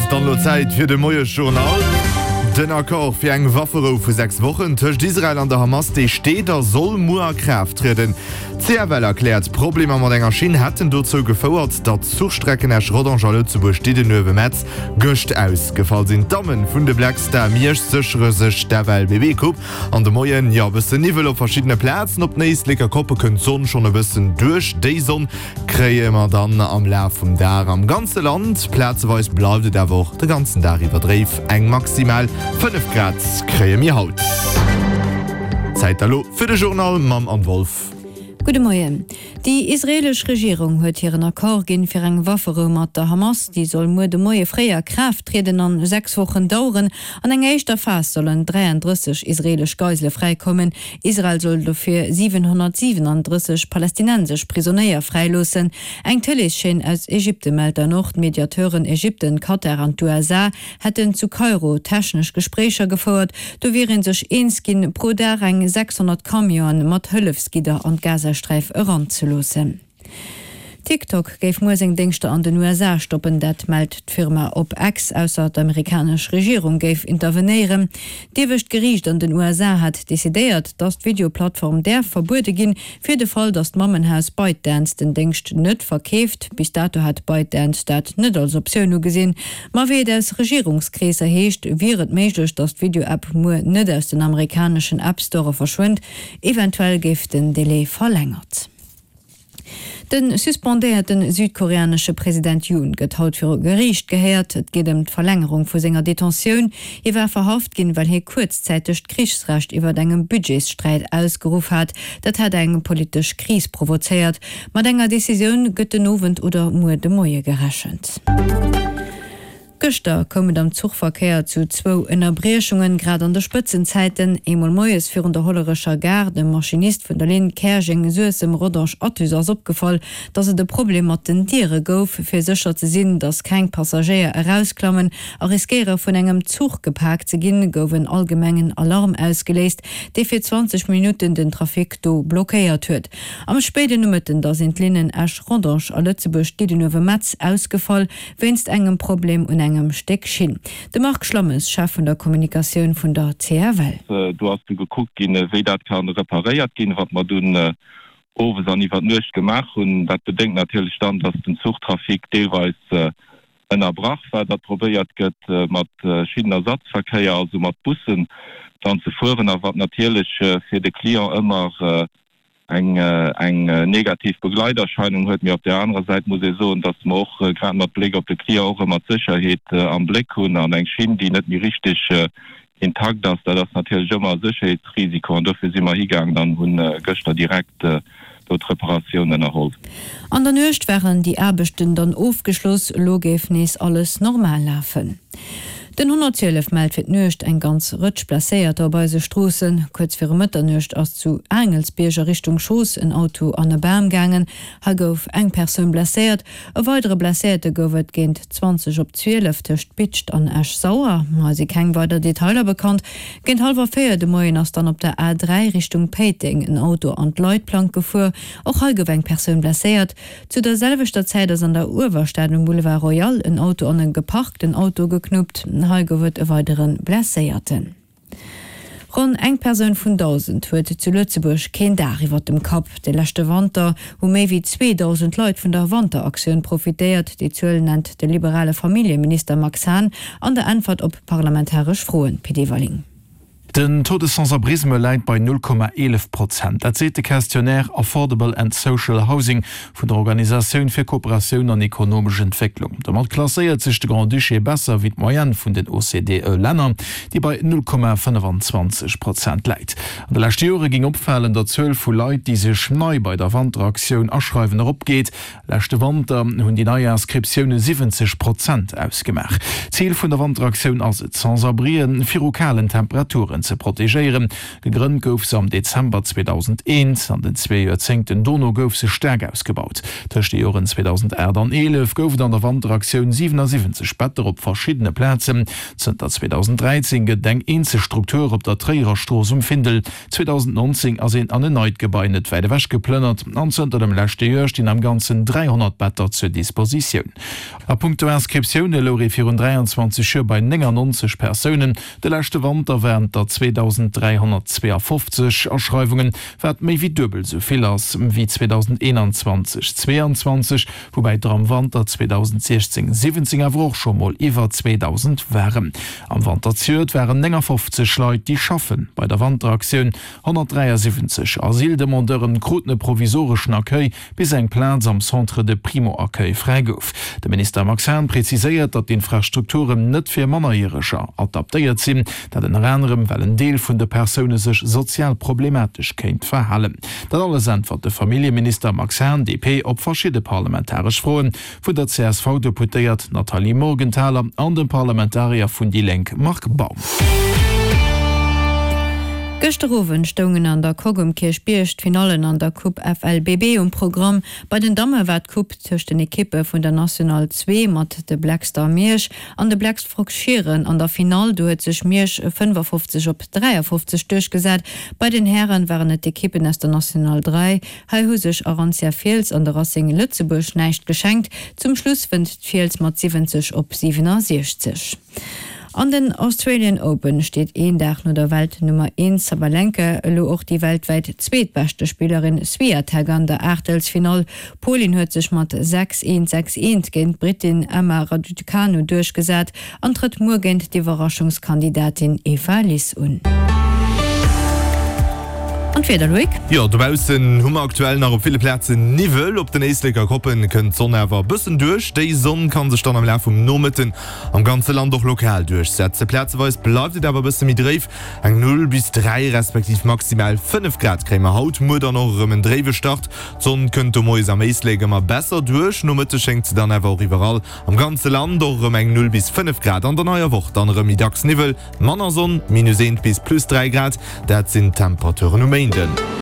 ass dann elo Zäit fir de Moiesjournal. Den Accord fir eng Wafferou vu 6 Wochen tëscht Israel an der Hamas, dee steet a soll muer a Kraaft trieden. D'CFL erkläert, Problemer mat enger Schinn hätten dozou gefouert, datt d'Zuchstrecken Esch-Rodange a Lëtzebuerg-Diddenuewe-Metz gëscht ausgefall sinn. D'Damme vun de Black Star Miersch séchere sech d'FLBB-Coupe. An de Moien, jo e bëssen Niwwel op verschiddene Plazen, op den Éisleker Koppe kënnt d'Sonn schonn e bëssen duerch. Déi Sonn kréie mer dann am Laf vum Dag am ganze Land, plazeweis bleift et awer och de ganzen Dag iwwer dréif. Eng maximal 5 Grad kréie mir haut. Zäit elo fir de Journal mam Anne Wolff. Gudde Moien. Déi israeelesch Regierung huet hiren Accord ginn fir eng Wafferou mat der Hamas. Déi soll muer de Moie fréi a Kraaft trieden an 6 Wochen daueren. An enger éischter Phas sollen 33 israeelesch Geisele fräikommen. Israel soll dofir 737 palästinensesch Prisonéier fräiloossen. Eng Tëleeschaîne aus Ägypte mellt dann och, d'Mediateuren Ägypten, Katar an d'USA hätten zu Kairo technesch Gespréicher gefouert. Do wier ee sech eens ginn, pro Dag eng 600 Camionen mat Hëllefsgidder an d'Gazasträif eranzeloossen. TikTok géif muer seng Déngschter an den USA stoppen, dat mellt d'Firma op X, ausser d'amerikanesch Regierung géif intervenéieren. D'iewescht Geriicht an den USA hat decidéiert, datt d'Videoplattform däerf verbuede ginn, Fir de Fall, datt d'Mammenhaus ByteDance den Déngscht net verkeeft. Bis dato hat ByteDance dat net als Optioun ugesinn. Ma wéi et aus Regierungskreesser heescht, wier et méiglech, datt d'Video-App muer net aus den amerikaneschen App-Store verschwënnt. Eventuell géif den Delai verlängert. De suspendéierte südkoreanesche President Yoon gëtt haut viru Geriicht gehéiert. Et geet ëm d'Verlängerung vu senger Detentioun. Hie war verhaft ginn, well hie kuerzzäiteg d'Krichsrecht iwwert engem Budgetssträit ausgeruff hat. Dat hat eng politesch Kris provozéiert. Mat enger Decisioun gëtt den Owend oder muer de Moie gerechent. Gëschter koum et am Zuchverkéier zu zwou Ënnerbriechungen, grad an de Spëtzenzäiten. Eemol moies virun der Hollerecher Gare, dem Maschinist vun der Linn Käerjeng-Suessem-Rodange-Athus ass opgefall, dass et e Problem mat den Diere gouf. Fir sécher ze sinn, dass keng Passagéier erausklammen a riskéiere vun engem Zuch gepaakt ze ginn, gouf en allgemengen Alarm ausgeléist, dee fir 20 Minutten den Trafic do blockéiert huet. Am spéiden Nomëtten da sinn d'Linnen Esch-Rodange a Lëtzebuerg-Diddenuewe-Metz ausgefall, wéinst engem Problem un engem Stéck Schinn. De Marc Schlammes, Chef vun der Kommunikatioun vun der CFL. Do ass du gekuckt ginn, wéi dat ka reparéiert ginn, wat mer dunn owes an iwwer d'Nuecht gemaach hunn. Dat bedéngt natierlech dann, dass den Zuchtrafic deelweis ënnerbrach war, datt probéiert gëtt, mat Schinnenersatzverkéier, also mat Bussen dann ze fueren, a wat natierlech fir de Client ëmmer eng negativ Begleiterscheinung huet. Mee op där anerer Säit muss ee soen, datt mer och grad mat Bléck op de Client och ëmmer d'Sécherheet am Bléck hunn. An eng Schinn, déi net méi richteg intakt ass, dat ass natierlech ëmmer e Sécherheetsrisiko. An dofir si mer higaangen an hunn gëschter direkt do d'Reparatioun ënnerholl. An der Nuecht waren déi Aarbechten dann ofgeschloss, elo géif nees alles normal lafen. Den 112 mellt fir d'Nuecht eng ganz Rëtsch Blesséierter op eise Stroossen. Kuerz viru Mëtternuecht ass zu Aangelsbierg a Richtung Schoos en Auto an e Bam gaangen. Hei gouf eng Persoun blesséiert. E weidere Blesséierte gouf et géint 20 op 12 tëscht Bidscht an Esch-Sauer. Hei si keng weider Detailer bekannt. Géint hallwer 4 de Moien ass dann op der A3 Richtung Péiteng en Auto an d'Leitplank gefuer. Och hei gouf eng Persoun blesséiert. Zu der selwechter Zäit ass an der Uewerstad um Boulevard Royal en Auto an e geparkten Auto geknuppt. Hei gouf et e weidere Blesséierten. Ronn eng Persoun vun 1.000 huet zu Lëtzebuerg keen Daach iwwer dem Kapp. De leschte Wanter hu méi wéi 2.000 Leit vun der Wanteraktioun profitéiert. Déi Zuel nennt de liberale Familljeminister Max Hahn an der Äntwert op parlamentaresch Froen. Pit Everling. Den Taux de sans-abrisme läit bei 0,11 Prozent. Dat seet de Questionnaire Affordable and Social Housing vun der Organisatioun fir Kooperatioun an ekonomesch Entwécklung. Domat klasséiert sech de Grand-Duché besser wéi d'Moyenne vun den OCDE-Länner, déi bei 0,25 Prozent läit. An de leschte Jore géing opfalen, datt d'Zuel vu Leit, déi sech nei bei der Wanteraktioun aschreiwen, eropgeet. Leschte Wanter hunn déi nei Inscriptioune 70 Prozent ausgemaach. Zil vun der Wanteraktioun ass et, d'Sans-abrien viru kalen Temperaturen ze. ze protegéieren. Gegrënnt gouf se am Dezember 2001. An den zwee Joerzéngten dono gouf se staark ausgebaut. Tëscht de Joren 2008 an 11 gouf et an der Wanteraktioun 77 Better op verschiddene Plazen. Zënter 2013 gëtt et eng eenzeg Struktur op der Tréierer Strooss um Findel. 2019 ass een an en neit Gebai net wäit ewech geplënnert an zënter dem leschte Joer stinn am Ganzen 300 Better zur Dispositioun. A punkto Inscriptioune louch ee virun 23 Joer bei 99 Persounen. De leschte Wanter waren et der 2.352 Aschreiwungen, wat méi wéi duebel esou vill ass wéi 2021, 22, woubäi der am Wanter 2016, 17 awer och scho mol iwwer 2.000 waren. Am Wanter zejoert waren 59 Leit, déi schaffe bei der Wanteraktioun. 173 Asyldemandeuren kruten e provisoreschen Accueil, bis eng Plaz am Centre de Primo-Accueil fräi gouf. De Minister Max Hahn preziséiert, datt d'Infrastrukturen net fir Mannerjäreger adaptéiert sinn, dat ënner anerem, well en Deel vun de Persoune sech sozial problematesch kéint verhalen. Dat alles äntwert de Familljeminister Max Hahn, DP, op verschidde parlamentaresch Froen vun der CSV-Deputéiert Nathalie Morgenthaler an dem Parlamentarier vun déi Lénk Marc Baum. Gëschter Owend stoungen an der Coque um Kierchbierg d'Finallen an der Coupe FLBB um Programm. Bei den Damme war d'Coupe tëscht den Ekippe vun der National 2 mat de Black Star Miersch an de Black Frogs Schieren an der Finall. Do huet sech Miersch 55 op 53 duerchgesat. Bei den Hären waren et d'Ekippen aus der National 3. Hei hu sech Arantia Fiels an de Racing Lëtzebuerg näischt geschenkt. Zum Schluss wënnt d'Fiels mat 70 op 67. An den Australian Open steet een Dag no der Weltnummer Eent Sabalenka elo och déi weltwäit zweetbeschte Spillerin Swiatek an der Aachtelsfinall. D'Polin huet sech mat 6, 1, 6, 1 géint d'Brittin Emma Raducanu duerchgesat an trëtt muer géint d'Iwwerraschungskandidatin Eva Lys un. An d'Wieder, Loïc? Jo, dobaussen hu mer aktuell nach op ville Plazen Niwwel. Op den Éisleker Koppen kënnt d'Sonn awer e bëssen duerch. Déi Sonn ka sech dann am Laf vum Nomëtten Am ganze Land och lokal duerchsetzen. Plazeweis bleift et awer e bësse méi dréif, eng 0 bis 3 respektiv maximal 5 Grad kréie mer haut. Muer dann och erëm en dréiwe Start, d'Sonn kënnt do moies am Éislek ëmmer besser duerch, nomëttes schéngt se dann awer och iwwerall am ganze Land och erëm eng 0 bis 5 Grad. An der neier Woch dann erëm méi dacks Niwwel, manner Sonn, minus 1 bis plus 3 Grad, dat sinn d'Temperaturen um Méinden.